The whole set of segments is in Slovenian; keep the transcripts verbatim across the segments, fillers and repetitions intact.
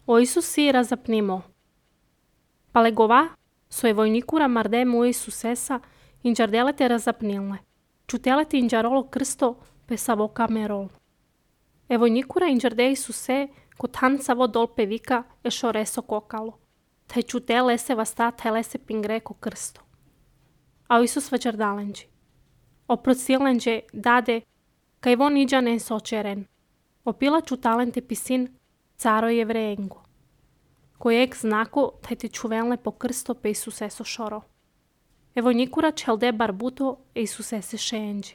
O Isusi razapnimo. Palegova, soe vojnikura marde mu Isusesa, inđardelete razapnilne. Čutelete inđarolo krsto, pesavo kamerol. E vojnikura inđarde Isuse, kot hansavo dolpe vika, ešo reso kokalo. Taj čute lese vasta, taj lese pingreko krsto. A o Isus vađardalenđi. Oprocilenđe dade, kaj von iđanen sočeren. Opila čutalente pisin, caro jevreengo. Kojeg znako, taj te čuvelne po krsto pe Isuseso šoro. E vojnikura čelde barbuto e Isusese šeenđi.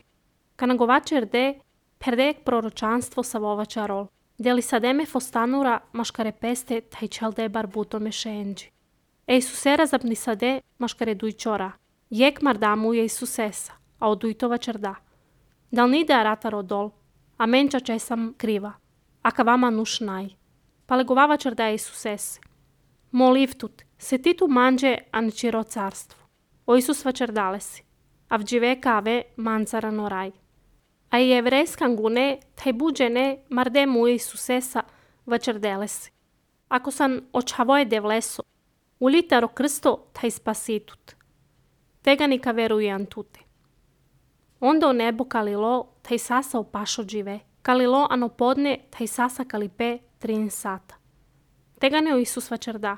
Kanagovače erde, perdek proročanstvo savovača rol. Deli sademe fostanura maškare peste taj čelde barbuto me šeenđi. E Isusera zapni sade maškare dujčora. Jek mardamu je Isusesa, a odujtova čerda. Dal nide arata rodol, a menča česam kriva, a kavama nuš naj. Palegovava čerda je Isusese. Molivtut, se ti tu manđe ančiro carstvo. O Isus vačerdale si, a vđive kave mancara noraj. A i jevrejskan gune, taj buđene marde mu Isusesa vačerdele si. Ako san očavoje devleso, ulitaro krsto taj spasitut. Tega nika verujan tute. Onda o nebo kalilo, taj sasa opašo džive. Kalilo ano podne, taj sasa kalipe trin sata. Tega ne o Isus vačerda.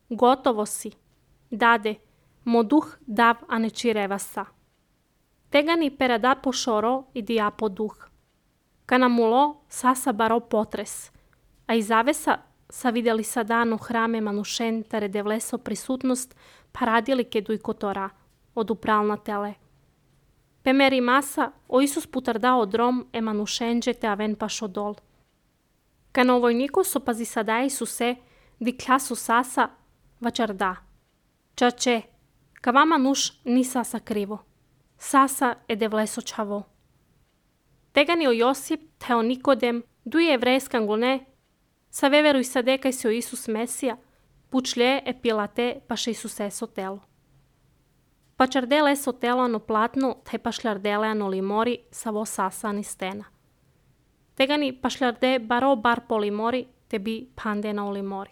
Gotovo si. Dade, mo duh dav a ne čirevasa. Tega ni perada po šoro i dija po duh. Kanamulo sasa baro potres. A iz zavesa sa vidjeli sa dano hrame manušen tare devleso prisutnost paradili kedu i kotora od upralna tele. Pemeri masa o Isus putarda odrom e manušenđe te aven pašo dol. Kana o vojniku so pazi sada Isuse di klasu sasa vačarda. Čače, kavama nuš ni sasa krivo. Sasa e devleso čavo. Tega ni o Josip te o Nikodem, duje jevrejskan gune, sa veveruj sade kaj si o Isus Mesija, pučlje e pilate paše Isuseso telo. Pačardele so telo ano platno, te pašljardele ano limori, savo sasa ani stena. Tega ni pašljarde baro bar po limori, te bi pandena o limori.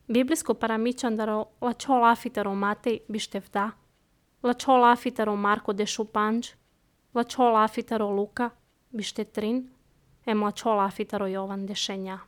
Biblijsko paramičandaro lačo lafitaro Matej bištevda, lačo lafitaro Marko de šupanđ, lačo lafitaro Luka bištetrin, em lačo lafitaro Jovan de šenja.